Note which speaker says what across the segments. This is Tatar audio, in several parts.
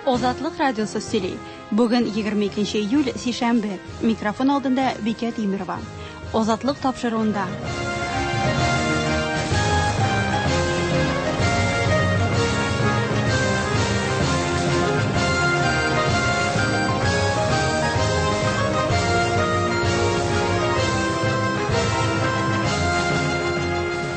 Speaker 1: Азатлык радиосы сөйли. Бүген 22 июль, сишәмбе. Микрофон алдында Бикә Тимерова. Азатлык тапшыруында.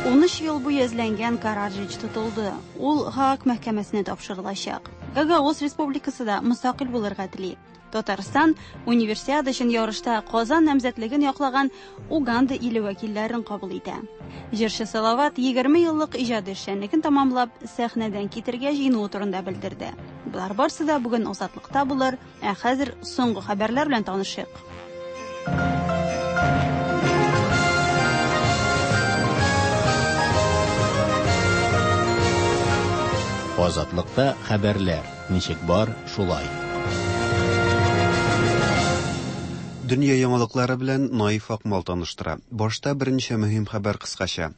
Speaker 1: Унөч ел буе эзләнгән Караджич тотылды. Ул Һааг мәхкәмәсенә тапшырылачак. Гагауз республикасы да мөстәкыйль булырга тели. Татарстан Универсиада өчен ярышта Казан намзәтлеген яклаган Уганда иле вәкилләрен кабул итә. Җырчы Салават 20 еллык иҗади эшчәнлеген тамамлап, сәхнәдән китергә җыенуы турында белдерде. Болар барсы да бүген Азатлыкта булыр, ә хәзер соңгы хәбәрләр белән танышыйк.
Speaker 2: Азатлыкта хәбәрләр ничек бар, шулай.
Speaker 3: Дөнья яңалыклары белән Наиф Акмал таныштыра. Башта берничә мөһим хәбәр кыскача.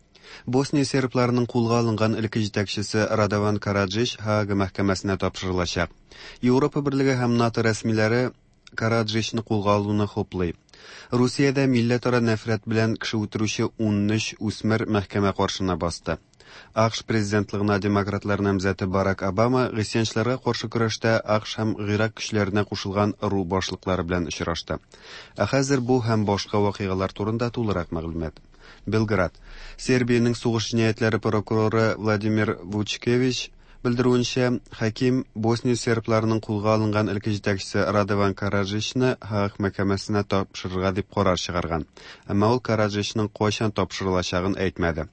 Speaker 3: Босния сербларының кулга алынган элекке җитәкчесе Радован Караджич Һаага мәхкәмәсенә тапшырылачак. Европа берлеге һәм НАТО рәсмиләре Караджичны кулга алуны хуплый. Русиядә милләтара нәфрәт белән кеше үтерүче 13 үсмер мәхкәмә каршына басты. АКШ президентлыгына демократлар намзәте Барак Обама гыйсьянчыларга каршы көрәштә АКШ һәм Гыйрак көчләренә кушылган ыру башлыклары белән очрашты. Ә хәзер бу һәм башка вакыйгалар турында тулырак мәгълүмат. Белград. Сербиянең сугыш җинаятьләре прокуроры Владимир Вучкевич белдерүенчә, хаким Босния сербларының кулга алынган элекке җитәкчесе Радован Караджичны Һааг мәхкәмәсенә тапшырырга дип карар чыгарган. Әмма ул Караджичның кайчан тапшырылачагын әйтмәде.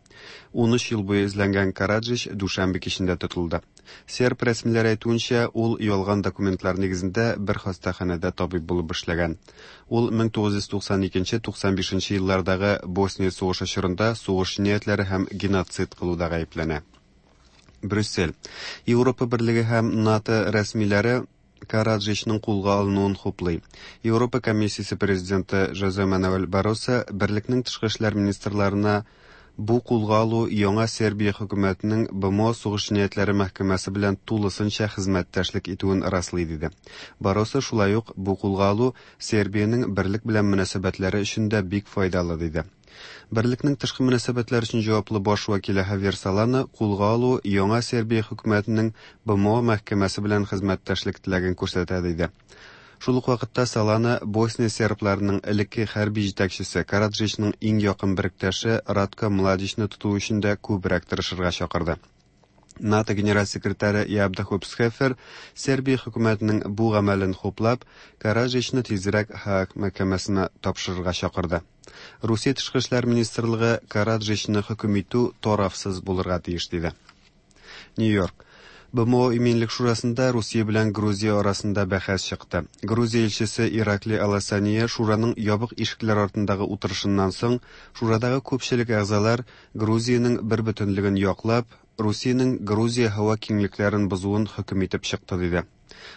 Speaker 3: 13 ел буе эзләнгән Караджич дүшәмбе кичендә тотылды. Серб рәсмиләре әйтүенчә, ул ялган документлар нигезендә бер хастаханәдә табиб булып эшләгән. Ул 1992-95 еллардагы Босния сугышы чорында сугыш җинаятьләре һәм геноцид кылуда гаепләнә. Брюссель. Европа берлеге һәм НАТО рәсмиләре Караджичның кулга алынуын хуплый. Европа комиссиясе президенты Жозе Мануэль Барроса берлекнең тышкы эшләр министрларына бу кулга алу яңа Сербия хөкүмәтенең БМО сугыш җинаятьләре мәхкәмәсе белән тулысынча хезмәттәшлек итүен раслый диде. Барроса шулай ук бу кулга алу Сербиянең берлек белән мөнәсәбәтләре өчен дә бик файдалы диде. Берлекнең тышкы мөнәсәбәтләр өчен җаваплы баш вәкиле Хавьер Солана кулга алу яңа Сербия хөкүмәтенең БМО мәхкәмәсе белән хезмәттәшлек теләген күрсәтә диде. Шул ук вакытта Солана Босния сербларының элекке хәрби җитәкчесе Караджичның иң якын беректәше Радко Младичны тоту өчен дә күбрәк тырышырга чакырды. НАТО генераль секретаре Яп де Хоп Схефер Сербия хөкүмәтенең бу гамәлен хуплап, Караджичны тизрәк Һааг мәхкәмәсенә тапшырырга чакырды. Русия тышкы эшләр министрлыгы Караджичны хөкем итү тарафсыз булырга тиеш диде. Нью-Йорк. БМО Иминлек шурасында Русия белән Грузия арасында бәхәс чыкты. Грузия илчесе Иракли Аласания шураның ябык ишекләр артындагы утырышыннан соң шурадагы күпчелек әгъзалар Грузиянең бер бөтенлеген яклап, Русиянең Грузия һава киңлекләрен бозуын хөкем итеп чыкты диде.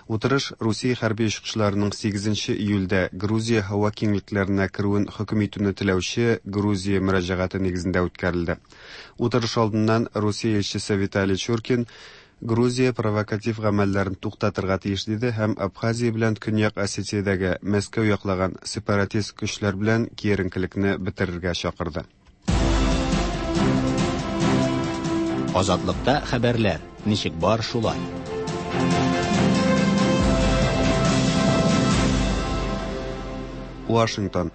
Speaker 3: Утырыш Русия хәрби очкычларының 8 июльдә Грузия һава киңлекләренә керүен хөкем итүне теләүче Грузия мөрәҗәгате нигезендә үткәрелде. Утырыш алдыннан Русия илчесе Виталий Чуркин Грузия провокатив гамәлләрен туктатырга тиеш диде һәм Абхазия белән Көньяк Осетиядәге Мәскәү яклаган сепаратист көчләр белән киеренкелекне бетерергә чакырды.
Speaker 2: Азатлыкта хәбәрләр ничек бар, шулай.
Speaker 3: Вашингтон.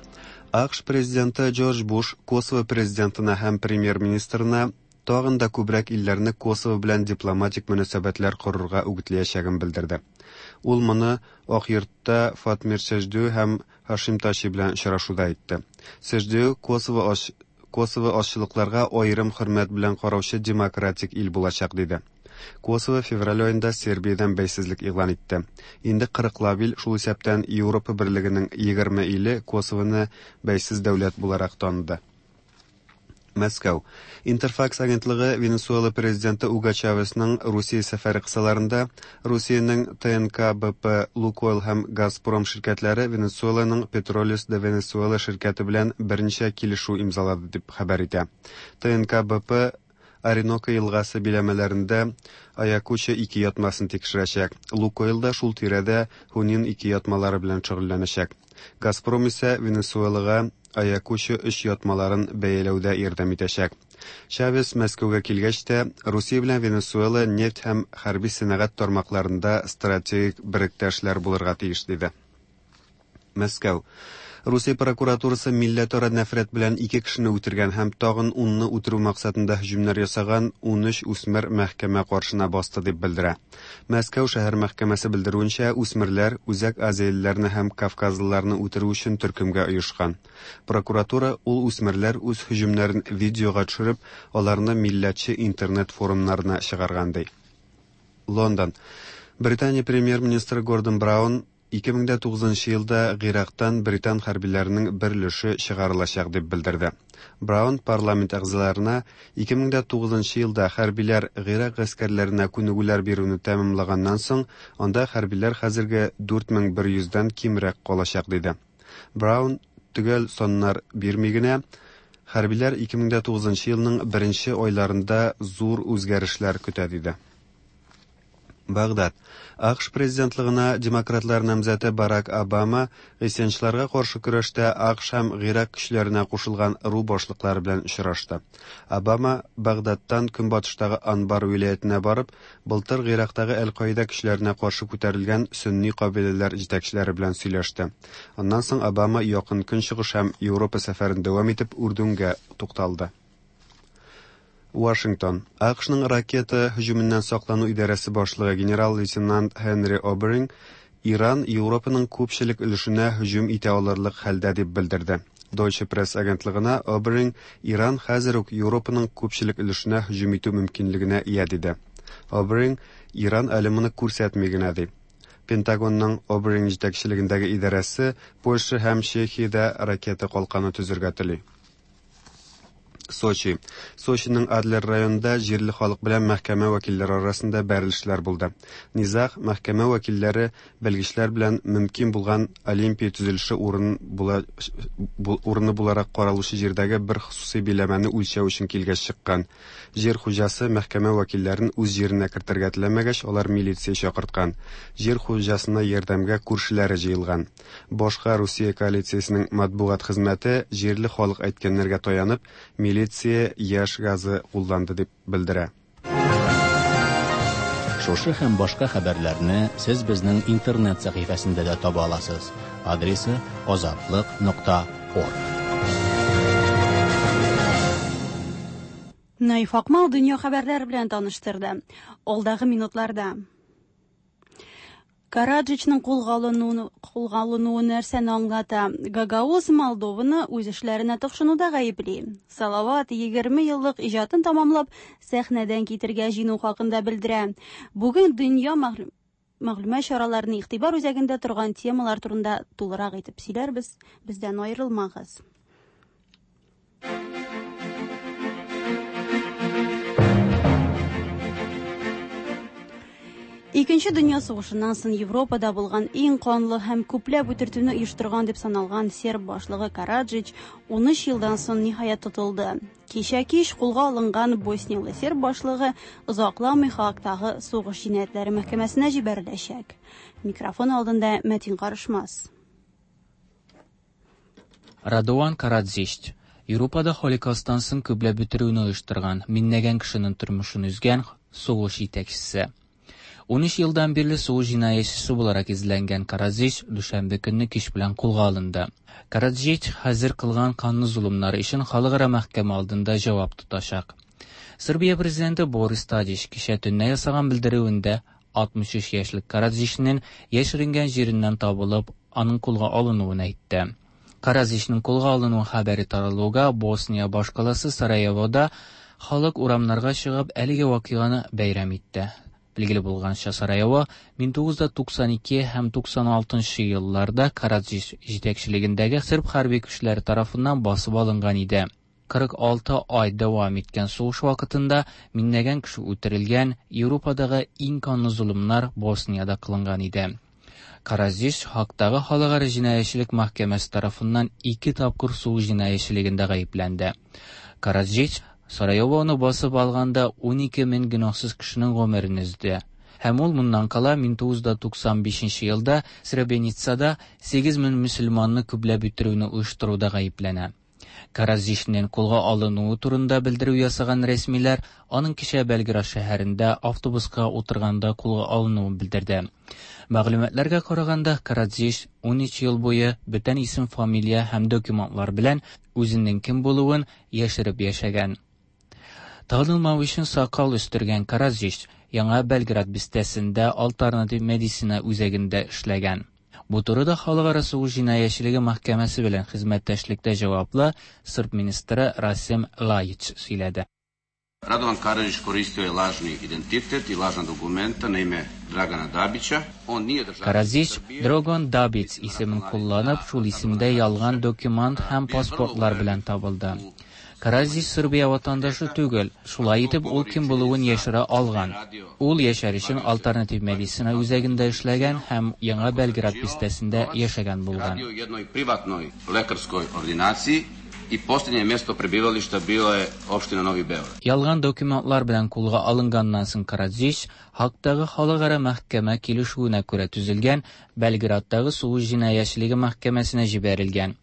Speaker 3: АКШ президенты Джордж Буш Косово президентына һәм премьер-министрына тагын да күбрәк илләрне Косово белән дипломатик мөнәсәбәтләр корырга үгетләячәген белдерде. Ул моны Ак йортта Фатмир Сәждү һәм Һашим Тачи белән очрашуда әйтте. Сәждү Косово Косово азчылыкларга аерым хөрмәт белән караучы демократик ил булачак диде. Косово февраль аенда Сербиядән бәйсезлек игълан итте. Инде 40 ил, шул исәптән Европа берлегенең 20 иле Косовоны бәйсез дәүләт буларак таныды. Мәскәү. Интерфакс агентлыгы Венесуэла президенты Уго Чавесның Русия сәфәре кысаларында Русиянең ТНК БП, Лукойл һәм Газпром ширкәтләре Венесуэланың Петролес де Венесуэла ширкәте белән берничә килешү имзалады дип хәбәр итә. ТНК БП Ориноко елгасы биләмәләрендә Аякучо-2 ятмасын тикшерәчәк. Лукойл да шул тирәдә Хунин-2 ятмалары белән шөгыльләнәчәк. Газпром исә Венесуэлага Аякучо-3 ятмаларын бәяләүдә ярдәм итәчәк. Чавес Мәскәүгә килгәч тә, Русия белән Венесуэла нефть һәм хәрби сәнәгать тармакларында стратегик беректәшләр булырга тиеш, диде. Мәскәү. Русия прокуратурасы милләтара нәфрәт белән ике кешене үтергән һәм тагын унны үтерү максатында һөҗүмнәр ясаган 13 үсмер мәхкәмә каршына басты дип белдерә. Мәскәү шәһәр мәхкәмәсе белдерүенчә, үсмерләр Үзәк Азиялеләрне һәм кавказлыларны үтерү өчен төркемгә оешкан. Прокуратура ул үсмерләр үз һөҗүмнәрен видеога төшереп, аларны милләтче интернет форумнарына чыгарган ди. Лондон. Британия премьер-министры Гордон Браун 2009 нчы елда Гыйрактан британ хәрбиләренең бер өлеше чыгарылачак дип белдерде. Браун парламент әгъзаларына 2009 нчы елда хәрбиләр Гыйрак гаскәрләренә күнегүләр бирүне тәмамлаганнан соң, анда хәрбиләр хәзерге 4100 дән кимрәк калачак диде. Браун төгәл саннар бирми генә, хәрбиләр 2009 нчы елның беренче айларында зур үзгәрешләр көтә диде. Багдад. АКШ президентлыгына демократлар намзәте Барак Обама гыйсьянчыларга каршы көрәштә АКШ һәм Гыйрак көчләренә кушылган ыру башлыклары белән очрашты. Обама Багдадтан көнбатыштагы Анбар вилаятенә барып, былтыр Гыйрактагы Әл-Каида көчләренә каршы күтәрелгән сөнни кабиләләр җитәкчеләре белән сөйләште. Аннан соң Обама Якын Көнчыгыш һәм Европа сәфәрен дәвам итеп Үрдүнгә тукталды. Вашингтон. АКШның ракета һөҗүменнән саклану идарәсе башлыгы генерал-лейтенант Һенри Оберинг Иран Европаның күпчелек өлешенә һөҗүм итә алырлык хәлдә дип белдерде. Deutsche Presse агентлыгына Оберинг Иран хәзер үк Европаның күпчелек өлешенә һөҗүм итү мөмкинлегенә ия диде. Оберинг Иран әле моны күрсәтми генә ди. Пентагонның Оберинг җитәкчелегендәге идарәсе Польша һәм Чехиядә ракета калканы төзергә тели. Сочи. Сочиның Адлер районында җирле халык белән мәхкәмә вәкилләре арасында бәрелешләр булды. Низаг мәхкәмә вәкилләре белгечләр белән мөмкин булган Олимпия төзелеше урын була, урыны буларак каралучы җирдәге бер хосусый биләмәне үлчәү өчен килгәч чыккан. Җир хуҗасы мәхкәмә вәкилләрен үз җиренә кертергә теләмәгәч, алар милиция чакырткан. Җир хуҗасына ярдәмгә күршеләре җыелган. Башка Русия коалициясенең матбугат хезмәте җирле халык әйткәннәргә таянып, милиция яшь газы кулланды дип белдерә.
Speaker 2: Шушы һәм башка хәбәрләрне сез безнең интернет сәхифәсендә дә таба аласыз. Адресы азатлык.орг.
Speaker 1: Наиф Акмал дөнья хәбәрләре белән таныштырды. Алдагы минутларда Караджичның кулга алынуы, кулга алынуы нәрсәне аңлата? Гагауз Молдованы үз эшләренә тыкшынуда гаепли. Салават 20 еллык иҗатын тамамлап, сәхнәдән китергә җыену хакында белдерә. Бүген дөнья мәгълүмат чараларының игътибар үзәгендә торган темалар турында тулырак итеп сөйләрбез. Бездән аерылмагыз. Икенче дөнья сугышыннан соң Европада булган иң канлы һәм күпләп үтертүне оештырган дип саналган серб башлыгы Караджич 13 елдан соң ниһаять тотылды. Кичә кич кулга алынган босниялы серб башлыгы озакламый Хаагтагы сугыш җинаятьләре мәхкәмәсенә җибәреләчәк. Микрофон алдында Мәтин Карышмас.
Speaker 4: Радован Караджич Европада Холокосттан соң күпләп үтерүне оештырган, меңләгән кешенең тормышын өзгән сугыш җитәкчесе. 13 елдан бирле сугыш җинаятьчесе буларак эзләнгән Караджич дүшәмбе көнне кич белән кулга алынды. Караджич хәзер кылган канлы золымнары өчен халыкара мәхкәмә алдында җавап тотачак. Сербия президенты Борис Тадич кичә төнлә ясаган белдерүендә 63 яшьлек Караджичның яшеренгән җиреннән табылып, аның кулга алынуын әйтте. Караджичның кулга алынуы хәбәре таралуга Босния башкаласы Сараевода халык урамнарга чыгып әлеге вакыйганы бәйрәм итте. Билгеле булганча, Сараево 1992 һәм 96 елларда Караджич җитәкчелегендәге серб хәрби көчләре тарафыннан басып алынган иде. 46 ай дәвам иткән сугыш вакытында меңләгән кеше үтерелгән, Европадагы иң канлы золымнар Босниядә кылынган иде. Караджич Хаагтагы халыкара җинаятьчелек мәхкәмәсе тарафыннан ике тапкыр сугыш җинаятьчелегендә гаепләнде. Караджич Сараевоны басып алганда 12 мең гөнаһсыз кешенең гомерен өзде. Һәм ул моннан кала 1995 елда Сребреницада 8 мең мөселманны күпләп үтерүне оештыруда гаепләнә. Караджичның кулга алынуы турында белдерү ясаган рәсмиләр аның кичә Белград шәһәрендә автобуска утырганда кулга алынуын белдерде. Мәгълүматларга караганда, Караджич 13 ел буе бүтән исем, фамилия һәм документлар белән үзенең кем булуын яшереп яшәгән. Танылмау өчен сакал үстергән Караджич Яңа Белград бистәсендә альтернатив медицина үзәгендә эшләгән. Бу турыда Халыкара сугыш җинаятьчелеге мәхкәмәсе белән хезмәттәшлектә җаваплы сырб министры Расим Лаич сөйләде.
Speaker 5: Radovan Karadžić koristio je lažni identitet i lažna dokumenta na ime Dragana Dabića. On nije državljanin
Speaker 4: Караджич
Speaker 5: Srbije.
Speaker 4: Драгон Дабиц исемен кулланып, шул исемдә ялган документ һәм паспортлар белән табылды. Караджич Сербия ватандашы түгел, шулай итеп ул кем булуын яшерә алган. Ул яшәр өчен альтернатив медицина үзәгендә эшләгән һәм Яңа Белград бистәсендә яшәгән булган.
Speaker 5: Radio u jednoj privatnoj lekarskoj ordinaciji i posljednje mjesto prebivališta bilo je opština Novi Beograd.
Speaker 4: Ялган документлар белән кулга алынганнан соң Караджич Һагдагы халыкара мәхкәмә килешүенә күрә төзелгән Белградтагы сугыш җинаятьчелеге мәхкәмәсенә җибәрелгән.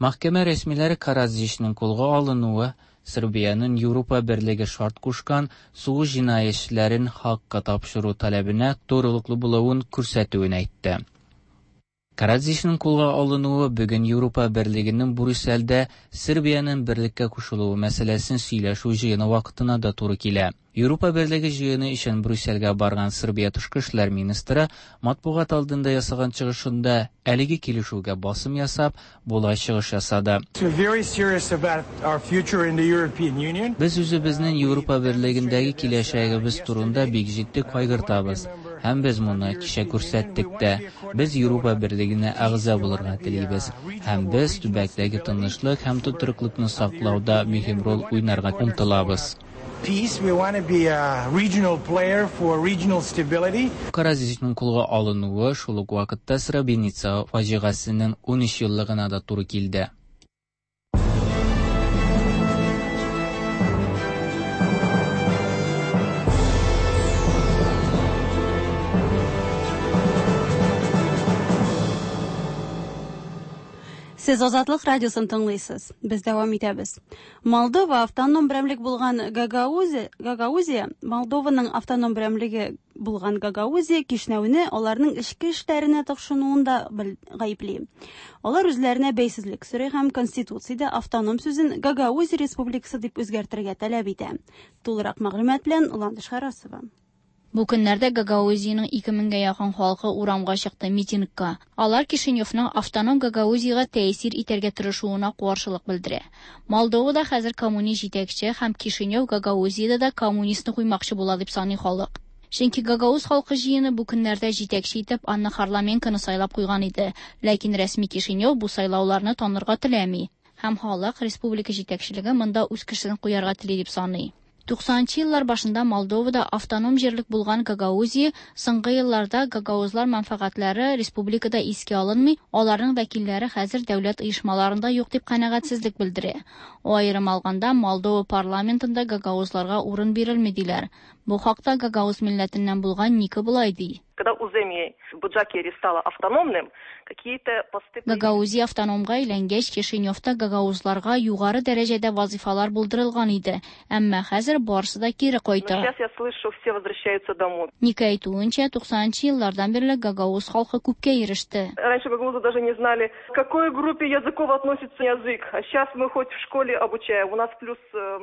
Speaker 4: Мәхкәмә рәсмиләре Караджичның кулга алынуы Сербиянең Европа берлеге шарт кушкан сугыш җинаятьчеләрен Һагка тапшыру таләбенә турылыклы булуын күрсәтүен әйтте. Караджичның кулга алынуы бүген Европа берлегенең Брюссельдә Сербиянең берлеккә кушылуы мәсьәләсен сөйләшү җыены вакытына да туры килә. Европа берлеге җыены өчен Брюссельгә барган Сербия тышкы эшләр министры матбугат алдында ясаган чыгышында әлеге килешүгә басым ясап, болай чыгыш ясады.
Speaker 6: We're very serious about our future in the European Union.
Speaker 4: Без үзебезнең Европа берлегендәге киләчәгебез турында бик җитди кайгыртабыз. Һәм без моны кичә күрсәттек тә. Без Европа берлегенә әгъза булырга телибез. Һәм без төбәктәге тынычлык һәм тотрыклыкны саклауда мөһим роль уйнарга омтылабыз.
Speaker 6: Peace, we want to be a regional player for regional stability.
Speaker 4: Караджичның кулга алынуы шул ук вакытта Сребреница фаҗигасенең 13 еллыгына да туры килде.
Speaker 1: Сез Азатлык радиосын тыңлыйсыз. Без дәвам итәбез. Молдова автоном берәмлек булган Гагаузия, Молдованың автоном берәмлеге булган Гагаузия Кишнәүне аларның эчке эшләренә тыкшынуында гаепли. Алар үзләренә бәйсезлек сорый һәм Конституциядә автоном сүзен Гагаузия Республикасы дип үзгәртергә таләп итә. Тулырак мәгълүмат белән Ландыш Харасова.
Speaker 7: Бу көннәрдә Гагаузиянең 2000гә якын халкы урамга чыкты митингка. Алар Кишиневның автоном Гагаузиягә тәэсир итәргә тырышуына каршылык белдерә. Молдовада хәзер коммунист җитәкче һәм Кишинев Гагаузиядә дә коммунистны куймакчы була дип саный халык. Чөнки Гагауз халкы җыены бу көннәрдә җитәкче итеп Анна Харламенконы сайлап куйган иде. Ләкин рәсми Кишинев бу сайлауларны танырга теләми. Һәм халык республика җитәкчелеге монда үз кешесен куярга тели дип саный. 90 еллар башында Молдовада автоном җирлек булган Гагаузия соңгы елларда гагаузлар мәнфәгатьләре республикада искә алынмый, аларның вәкилләре хәзер дәүләт оешмаларында юк дип канәгатьсезлек белдерә. Аерым алганда Молдова парламентында гагаузларга урын бирелми диләр. Бу хакта гагауз милләтеннән булган Ника болай ди.
Speaker 8: Когда Уземье Буджакери стало автономным, какие-то посты...
Speaker 7: Гагаузия автономга әйләнгәч, Кишиневта гагаузларга югары дәрәҗәдә вазифалар булдырылган иде. Әмма хәзер барысы да кире кайта.
Speaker 8: Но сейчас я слышу, все возвращаются домой.
Speaker 7: Ника әйтүенчә, 90 еллардан бирле гагауз халкы күпкә иреште.
Speaker 8: Раньше гагаузы даже не знали, к какой группе языков относится язык. А сейчас мы хоть в школе обучаем. У нас плюс...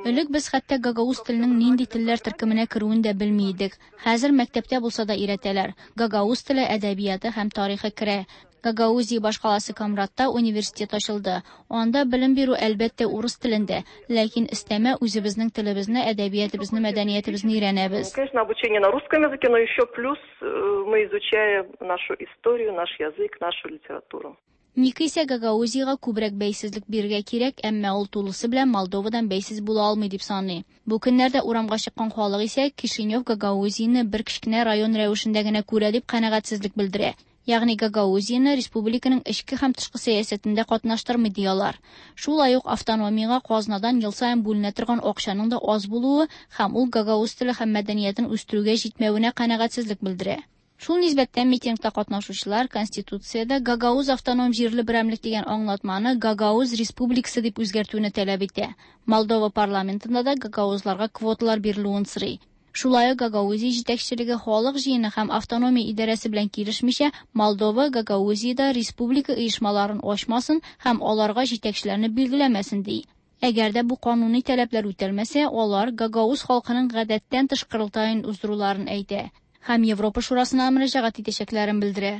Speaker 7: Элек без хәтта гагауз теленең нинди телләр төркеменә керүен дә белми идек. Хәзер мәктәптә булса да өйрәтәләр. Гагауз теле, әдәбияты һәм тарихы керә. Гагаузия башкаласы Комратта университет ачылды. Анда белем бирү әлбәттә урыс телендә, ләкин өстәмә үзебезнең телебезне, әдәбиятыбызны, мәдәниятебезне өйрәнәбез.
Speaker 8: Конечно, обучение на русском языке, но еще плюс мы изучаем нашу историю, наш язык, нашу литературу.
Speaker 7: Ника исә Гагаузиягә күбрәк бәйсезлек бирергә кирәк, әмма ул тулысы белән Молдовадан бәйсез була алмый дип саный. Бу көннәрдә урамга чыккан халык исә Кишинев Гагаузияне бер кечкенә район рәвешендә генә күрә дип канәгатьсезлек белдерә. Ягъни Гагаузияне республиканың эчке һәм тышкы сәясәтендә катнаштырмый ди алар. Шулай ук автономиягә казнадан ел саен бүленә торган акчаның да аз булуы һәм ул гагауз теле һәм мәдәниятен үстерүгә җитмәвенә канәгатьсезлек белдерә. Шул нисбәттән митингта катнашучылар Конституциядә Гагауз автоном җирле берәмлек дигән аңлатманы Гагауз республикасы дип үзгәртүне таләп итә. Молдова парламентында да гагаузларга квоталар бирелүен сорый. Шулай ук Гагаузия җитәкчелеге халык җыены һәм автономия идарәсе белән килешмичә Молдова Гагаузиядә республика оешмаларын ачмасын һәм аларга җитәкчеләрне билгеләмәсен ди. Әгәр дә бу кануни таләпләр үтәлмәсә, алар гагауз халкының гадәттән тыш корылтаен уздыруларын әйтә һәм Европа Шурасына мөрәҗәгать итәчәкләрен белдерә.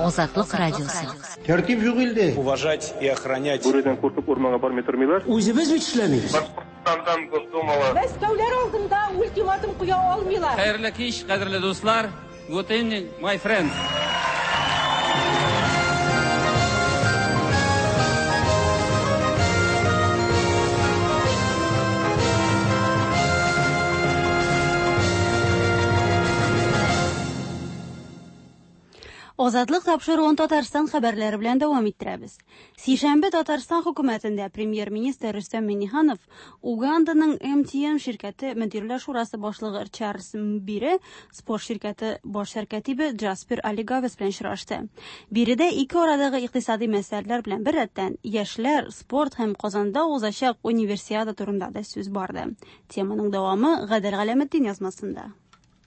Speaker 9: Азатлык радиосы.
Speaker 10: Тәртип юк илдә.
Speaker 11: Уважать и охранять.
Speaker 12: Бүредән куркып урманга бармый тормыйлар.
Speaker 10: Үзебез бит эшләмибез.
Speaker 12: Башкортстандан Госдумалы.
Speaker 13: Мәскәүләр алдында ультиматум куя алмыйлар.
Speaker 14: Хәерле кич, кадерле дуслар. Good evening, my friends.
Speaker 1: Азатлык тапшыруын Татарстан хәбәрләре белән дәвам иттерәбез. Сишәмбе Татарстан хөкүмәтендә премьер-министр Рөстәм Миңнеханов Уганданың MTN ширкәте мөдирләр шурасы башлыгы Чарльз Мбире, спорт ширкәте баш сәркәтибе Джаспер Алигавес белән очрашты. Биредә ике арадагы икътисади мәсьәләләр белән беррәттән яшьләр, спорт һәм Казанда узачак универсиада турында да сүз барды. Теманың дәвамы Гадел Галәметдин язмасында.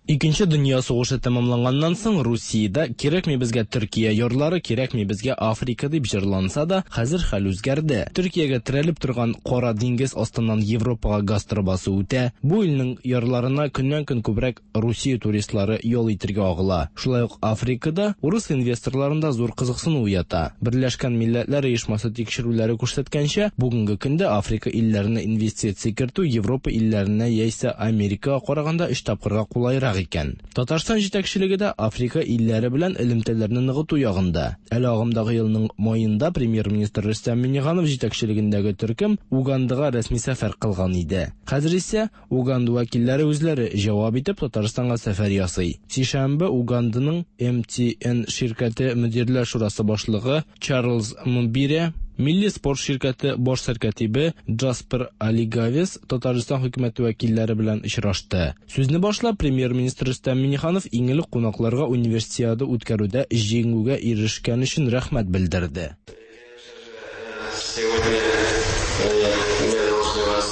Speaker 15: Икенче дөнья сугышы тәмамланганнан соң Русиядә кирәкми безгә Төркия ярлары, кирәкми безгә Африка дип җырланса да, хәзер хәл үзгәрде. Төркиягә терәлеп торган Кара диңгез астыннан Европага газ торбасы үтә. Бу илнең ярларына көннән-көн күбрәк Русия туристлары ял итергә агыла. Шулай ук Африкада урыс инвесторларында зур кызыксыну уята. Берләшкән Милләтләр Оешмасы тикшерүләре күрсәткәнчә, бүгенге көндә Африка илләренә инвестиция кертү Европа илләренә яисә Америкага караганда өч тапкырга кулайрак икән. Татарстан җитәкчелеге дә Африка илләре белән элемтәләрне ныгыту ягында. Әле агымдагы елның маенда премьер-министр Рөстәм Миңнеханов җитәкчелегендәге төркем Угандага рәсми сәфәр кылган иде. Хәзер исә Уганда вәкилләре үзләре җавап итеп Татарстанга сәфәр ясый. Сишәмбе Уганданың MTN ширкәте мөдирләр шурасы башлыгы Чарльз Мбире, Милли спорт ширкәте баш сәркәтибе Джаспер Алигавес Татарстан хөкүмәте вәкилләре белән очрашты. Сүзне башлап премьер-министр Рөстәм Миңнеханов иң элек кунакларга универсиада үткәрүдә җиңүгә ирешкән өчен рәхмәт белдерде.
Speaker 16: Сегодня мы должны вас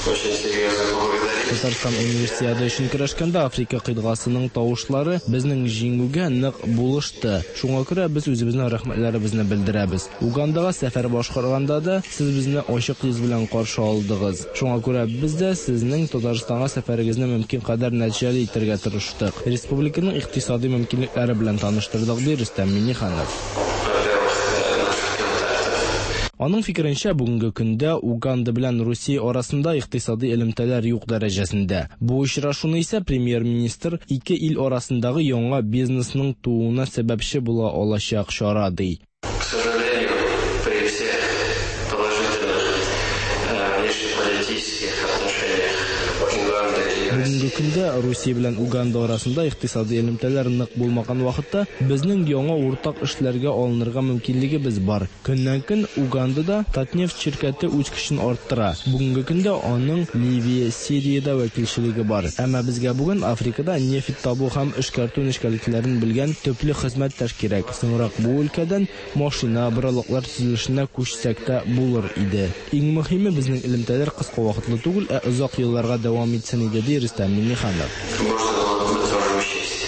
Speaker 16: очень серьезно поблагодарить.
Speaker 15: Татарстан универсиада өчен көрәшкәндә Африка кыйтгасының тавышлары безнең җиңүгә нык булышты. Шуңа күрә без үзебезнең рәхмәтләребезне белдерәбез. Угандага сәфәр башкарганда да сез безне ачык йөз белән каршы алдыгыз. Шуңа күрә без дә сезнең Татарстанга сәфәрегезне мөмкин кадәр нәтиҗәле итәргә тырыштык. Республиканың икътисади мөмкинлекләре белән таныштырдык, ди Рөстәм Миңнеханов. Аның фикеренчә, бүгенге көндә Уганда белән Русия арасында икътисади элемтәләр юк дәрәҗәсендә. Бу очрашуны исә премьер-министр ике ил арасындагы яңа бизнесның тууына сәбәпче була алачак чара ди.
Speaker 16: К сожалению, при всех положительных внешнеполитических отношениях Уганды и
Speaker 15: Бүгенге көндә Русия белән Уганда арасында икътисади элемтәләр нык булмаган вакытта безнең яңа уртак эшләргә алынырга мөмкинлегебез бар. Көннән-көн Угандада Татнефть ширкәте үз көчен арттыра. Бүгенге көндә аның Ливия, Сириядә вәкилчелеге бар. Әмма безгә бүген Африкада нефть табу һәм эшкәртү нечкәлекләрен белгән төпле хезмәттәш кирәк. Соңрак бу өлкәдән машина, боралаклар төзелешенә күчсәк тә булыр иде. Иң мөһиме безнең элемтәләр кыска вакытлы түгел, ә озак елларга дәвам итсен иде, ди Рөстәм Миңнеханов.
Speaker 16: можно было бы тоже учесть.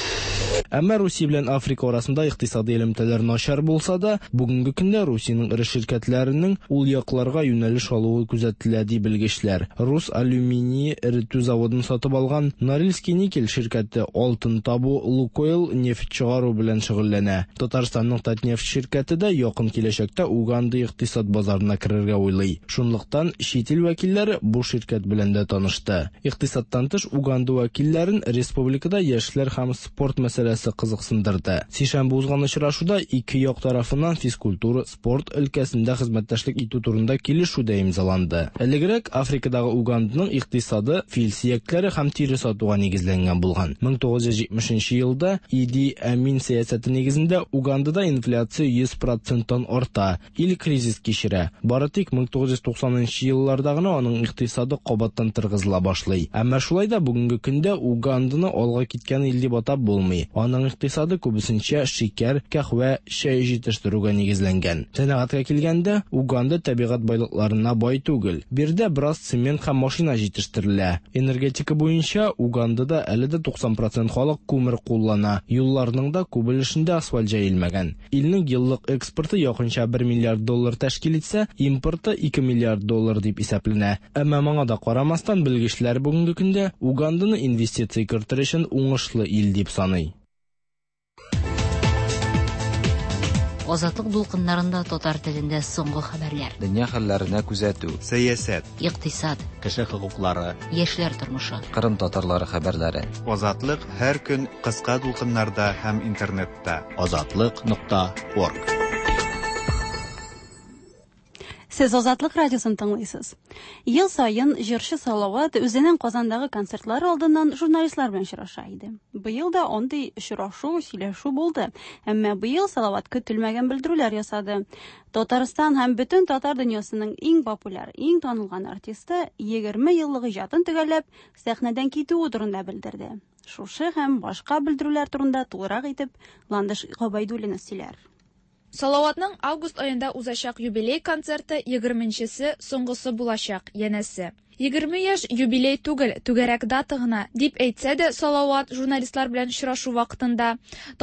Speaker 15: Әмма Русия белән Африка арасында икътисади элемтәләр начар булса да, бүгенге көндә Русиянең эре ширкәтләренең ул якларга юнәлеш алуы күзәтелә, ди белгечләр. Рус алюминий эретү заводын сатып алган Норильский никель ширкәте алтын табу, Лукойл нефть чыгару белән шөгыльләнә. Татарстанның Татнефть ширкәте дә якын киләчәктә Уганда икътисад базарына керергә уйлый. Шунлыктан чит ил вәкилләре бу ширкәт белән дә танышты. Икътисадтан тыш Уганда вәкилләрен республикада яшьләр һәм спорт мәсьәләсе мәсьәләсе кызыксындырды. Сишәмбе узган очрашуда ике як тарафыннан физкультура, спорт өлкәсендә хезмәттәшлек итү турында килешү дә имзаланды. Элегрәк Африкадагы Уганданың икътисады фил сөякләре һәм тире сатуга нигезләнгән булган. 1970 нче елда Иди Әмин сәясәте нигезендә Угандада инфляция 100 проценттан арта, ил кризис кичерә. Бары тик 1990 нчы елларда гына аның икътисады кабаттан торгызыла башлый. Әмма шулай да бүгенге көндә Уганданы алга киткән ил дип атап булмый. Аның икътисады күбесенчә шикәр, кәһвә, чәй җитештерүгә нигезләнгән. Сәнәгатькә килгәндә, Уганда табигать байлыкларына бай түгел. Биредә бераз цемент һәм машина җитештерелә. Энергетика буенча Угандада әле дә 90 процент халык күмер куллана, юлларның да күп өлешендә асфальт җәелмәгән. Илнең еллык экспорты якынча бер миллиард доллар тәшкил итсә, импорты 2 миллиард доллар дип исәпләнә. Әмма моңа да карамастан, белгечләр бүгенге көндә Уганданы инвестиция кертер өчен уңышлы ил дип саный.
Speaker 9: Азатлык дулкыннарында татар телендә соңгы хәбәрләр.
Speaker 11: Дөнья хәлләренә күзәтү.
Speaker 3: Сәясәт.
Speaker 9: Икътисад.
Speaker 2: Кеше хокуклары.
Speaker 9: Яшьләр тормышы.
Speaker 11: Кырым татарлары хәбәрләре.
Speaker 3: Азатлык һәр көн кыска дулкыннарда һәм интернетта.
Speaker 2: Азатлык нокта орг.
Speaker 1: Сез Азатлык радиосын тыңлыйсыз. Ел саен җырчы Салават үзенең Казандагы концертлары алдыннан журналистлар белән очраша иде. Быел да андый очрашу, сөйләшү булды. Әмма быел Салават көтелмәгән белдерүләр ясады. Татарстан һәм бөтен татар дөньясының иң популяр, иң танылган артисты 20 еллык иҗатын төгәлләп, сәхнәдән китүе турында белдерде. Шушы һәм башка белдерүләр турында тулырак итеп Ландыш Гобәйдуллина сөйләр.
Speaker 17: Салаватның август аенда узачак юбилей концерты егерменчесе, соңгысы булачак, янәсе. Егерме яшь юбилей түгел, түгәрәк дата гына, дип әйтсә дә Салават журналистлар белән очрашу вакытында,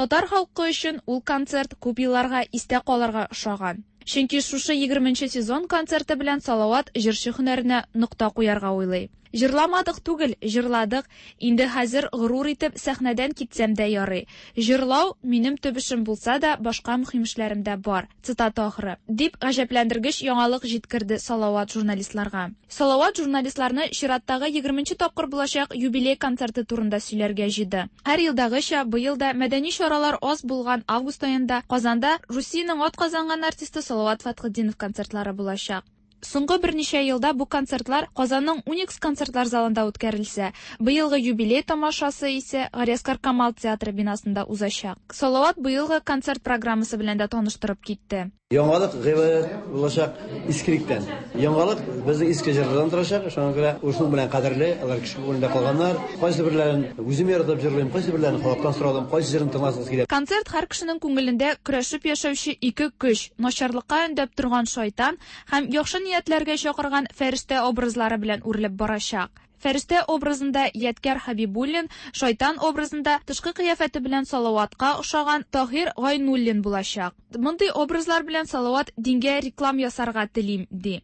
Speaker 17: татар халкы өчен ул концерт күп елларга истә калырга ошаган. Чөнки шушы егерменче сезон концерты белән Салават җырчы һөнәренә нокта куярга уйлый. Җырламадык түгел, җырладык, инде хәзер горур итеп сәхнәдән китсәм дә ярый. Җырлау, минем төп эшем булса да, башка мөһим эшләрем дә бар. Цитата ахыры. Дип гаҗәпләндергеч яңалык җиткерде Салават журналистларга. Салават журналистларны чираттагы егерменче тапкыр булачак юбилей концерты турында сөйләргә җыйды. Һәр елдагыча, быел да мәдәни чаралар аз булган август аенда Казанда Русиянең атказанган артисты Салават Фәтхетдинов концертлары булачак. Соңгы берничә елда бу концертлар Казанның Уникс концертлар залында үткәрелсә, быелгы юбилей тамашасы исә Галиәсгар Камал театры бинасында узачак. Салават быелгы концерт программасы белән дә таныштырып китте.
Speaker 10: Яңалык гыйбарәт булачак искелектән. Яңалык безнең иске җырлардан торачак, шуңа күрә ул шуның белән кадерле, алар кеше күңелендә калганнар. Кайсы берләрен үзем яратып җырлыйм, кайсы берләрен халыктан сорадым, кайсы җырын тыңласыгыз килә.
Speaker 17: Концерт һәр кешенең күңелендә көрәшеп яшәүче ике көч, начарлыкка өндәп торган шайтан һәм яхшы ниятләргә чакырган фәрештә образлары белән үрелеп барачак. Фәрештә образында Ядкәр Хәбибуллин, шайтан образында тышкы кыяфәте белән Салаватка охшаган Таһир Гайнуллин булачак. Мондый образлар белән Салават дингә реклам ясарга телим, ди.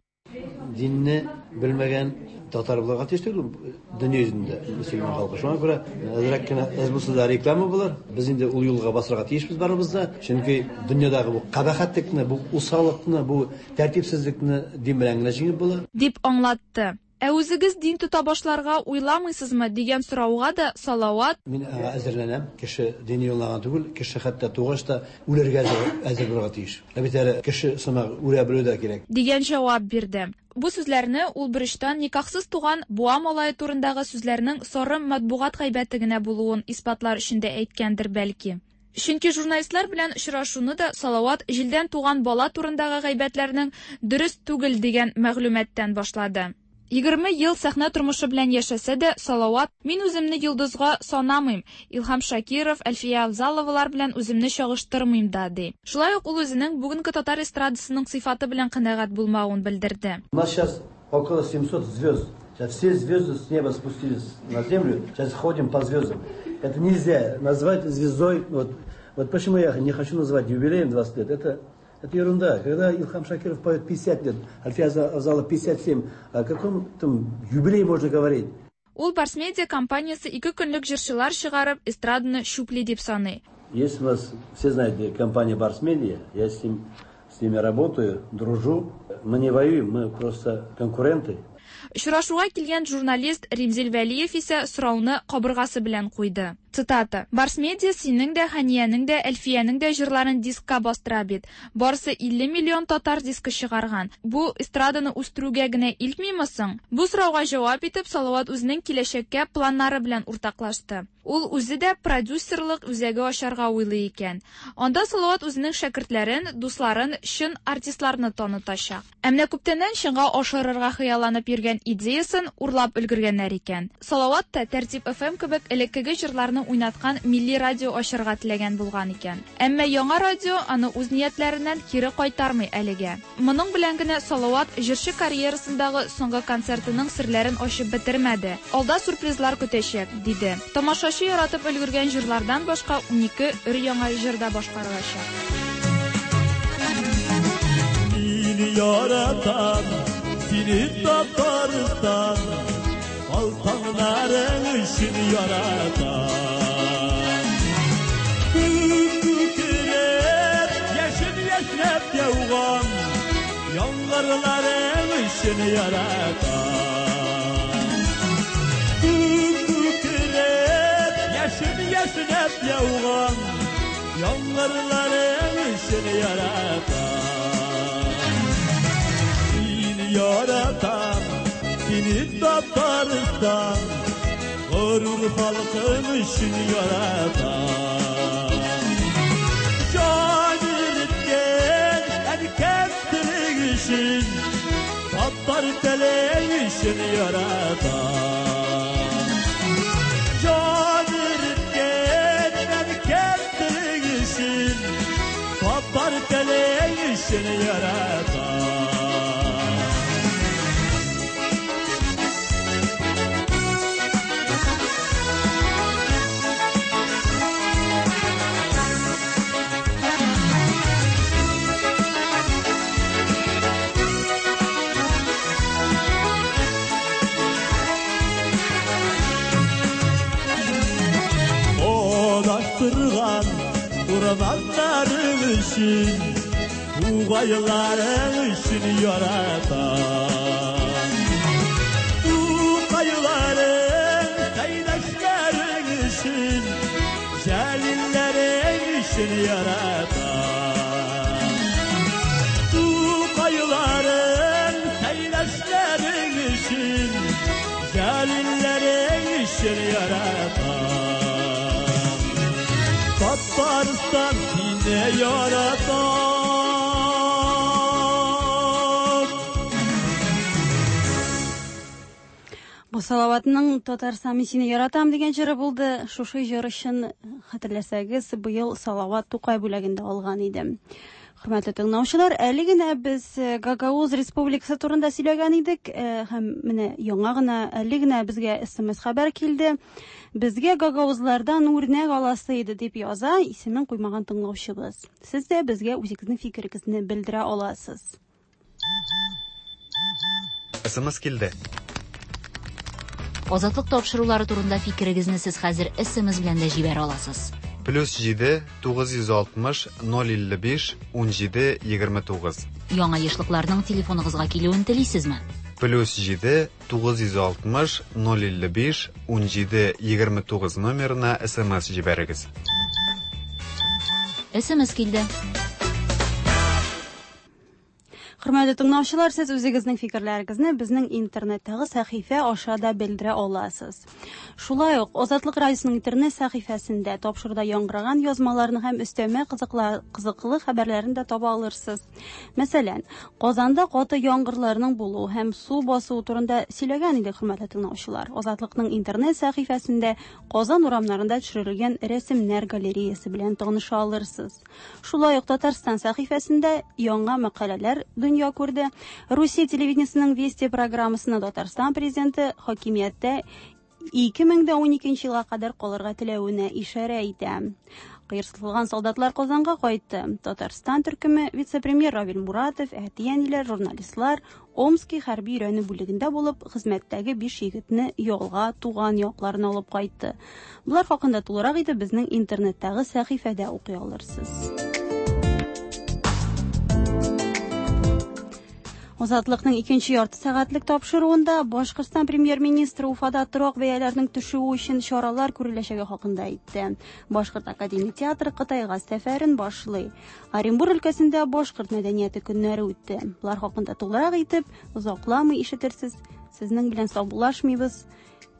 Speaker 10: Динне белмәгән татар булырга тиеш түгел дөнья йөзендә мөселман халкы. Шуңа күрә әзрәк кенә әз булса да реклама булыр. Без инде ул юлга басырга тиешбез барыбыз да. Чөнки дөньядагы бу кабахәтлекне, бу усаллыкны, бу тәртипсезлекне дин белән генә җиңеп була.
Speaker 17: Дип аңлатты. Ә үзегез дин тота башларга уйламыйсызмы дигән сорауга да Салават.
Speaker 10: Мин аңа әзерләнәм. Кеше дини юлына гына түгел, кеше хәтта тугач та үләргә әзер булырга тиеш. Ә бит әле кеше сымак үлә белү дә кирәк.
Speaker 17: Дигән җавап бирде. Бу сүзләрне ул берочтан никахсыз туган Буа малае турындагы сүзләрнең сары матбугат гайбәте генә булуын исбатлар өчен дә әйткәндер бәлки. Чөнки журналистлар белән очрашуны да Салават җилдән туган бала турындагы гайбәтләрнең дөрес түгел дигән мәгълүматтан башлады. 20 ел сәхнә тормышы белән яшәсә дә, Салават, Мин үземне йолдызга санамыйм, Илһам Шакиров, Әлфия Авзаловалар белән үземне чагыштырмыйм да, ди. Шулай ук ул үзенең бүгенге татар эстрадасының сыйфаты белән канәгать булмавын белдерде.
Speaker 10: У нас сейчас около 700 звезд. Сейчас все звезды с неба спустились на землю, сейчас ходим по звездам. Это нельзя назвать звездой. Вот, вот почему я не хочу назвать юбилеем 20 лет. Это, это ерунда. Когда Илхам Шакиров поет 50 лет, Альфия Авзалова 57, о каком там юбилее можно говорить?
Speaker 17: Ул Барсмедиа компаниясе ике көнлек җырчылар чыгарып, эстраданы чүпли дип саный.
Speaker 10: Есть у нас, все знаете, компания Барсмедиа, я с, ним, с ними работаю, дружу. Мы не воюем, мы просто конкуренты.
Speaker 17: Очрашуга килгән журналист Римзил Вәлиев исә сорауны кабыргасы белән куйды. Цитата. Барс Медиа синең дә, Хәниянең дә, Әлфиянең дә җырларын дискка бастыра бит. Барсы 50 миллион татар дискы чыгарган. Бу эстраданы үстерүгә генә илтмиме соң? Бу сорауга җавап итеп, Салават үзенең киләчәккә планнары белән уртаклашты. Ул үзе дә продюсерлык үзәге ачарга уйлый икән. Анда Салават үзенең шәкертләрен, дусларын, чын артистларны танытачак. Ә менә күптәннән чынга ашырырга хыялланып йөргән идеясын урлап өлгергәннәр икән. Салават та Тәртип FM кебек элеккеге җырларны уйнаткан милли радио ачарга теләгән булган икән. Әмма яңа радио аны үз ниятләреннән кире кайтармый әлегә. Моның белән генә Салават җырчы карьерасындагы соңгы концертының серләрен ачып бетермәде. Алда сюрпризлар көтәчәк, диде. Тамашачы яратып өлгергән җырлардан башка 12 өр-яңа җыр да башкарылачак.
Speaker 18: Сине яратам, сине Татарстан, Алтыннарың өчен яратам. Күк күкрәп, яшен яшьнәп яуган, Яңгырларың өчен яратам. Күк күкрәп, яшен яшьнәп яуган, Яңгырларың өчен яратам. Сине яратам, сине Татарстан, Горур халкым өчен яратам. Җан иреткән әнкәм телең өчен, Татар телең өчен яратам. Җан иреткән әнкәм телең өчен, Татар телең өчен яратам. Адаштырган урманнарың өчен, Тугайларың өчен яратам. Тугайларың, Сәйдәшләрең өчен, Җәлилләрең өчен яратам. Тугайларың, Сәйдәшләрең өчен, Җәлилләрең өчен яратам. Татарстан сине яратам.
Speaker 1: Бу Салаватның Татарстан мин сине яратам дигән җыры булды. Шушы җыр өчен хәтерләсәгез, быел Салават Тукай бүләген дә алган иде. Хөрмәтле тыңлаучылар, әле генә без Гагауз Республикасы турында сөйләгән идек, һәм менә яңа гына әле генә безгә SMS хәбәр килде. Безгә гагаузлардан үрнәк аласы иде дип яза исемен куймаган тыңлаучыбыз. Сез дә безгә үзегезнең фикерегезне белдерә аласыз.
Speaker 3: SMS килде.
Speaker 9: Азатлык тапшырулары турында фикерегезне сез хәзер SMS белән дә җибәрә аласыз.
Speaker 3: Плюс 7 960 055 17 29.
Speaker 9: Яңа ешлыкларның телефоныгызга килүен телисезме?
Speaker 3: Плюс 7 960 055 17 29 номерына SMS җибәрегез.
Speaker 9: SMS килде.
Speaker 1: Хөрмәтле тыңлаучылар, сез үзегезнең фикерләрегезне безнең интернеттагы сәхифә аша да белдерә аласыз. Шулай ук Азатлык радиосының интернет сәхифәсендә тапшыруда яңгыраган язмаларны һәм өстәмә кызыклы хәбәрләрен дә таба алырсыз. Мәсәлән, Казанда каты яңгырларның булуы һәм су басуы турында сөйләгән идек, хөрмәтле тыңлаучылар. Азатлыкның интернет сәхифәсендә Казан урамнарында төшерелгән рәсемнәр галереясы белән таныша алырсыз. Шулай ук Татарстан сәхифәсендә яңа мәкаләләр дөнья күрде. Русия телевидениесының Вести программасына Татарстан президенты хакимияттә 2012 елга кадәр калырга теләвенә ишарә итә. Кыерсытылган солдатлар Казанга кайтты. Татарстан төркеме вице-премьер Равил Муратов, әти-әниләр, журналистлар Омский хәрби өйрәнү бүлегендә булып, хезмәттәге 5 егетне ялга туган якларына алып кайтты. Болар хакында тулырак итеп безнең интернеттагы сәхифәдә укый алырсыз. Азатлыкның икенче ярты сәгатьлек тапшыруында Башкортстан премьер-министры Уфада торак бәяләренең төшүе өчен чаралар күреләчәге хакында әйтте. Башкорт академия театры Кытайга сәфәрен башлый. Оренбур өлкәсендә башкорт мәдәнияте көннәре үтте. Болар хакында тулырак итеп озакламый ишетерсез. Сезнең белән саубуллашмыйбыз.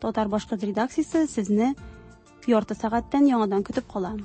Speaker 1: Татар башкорт редакциясе сезне ярты сәгатьтән яңадан көтеп кала.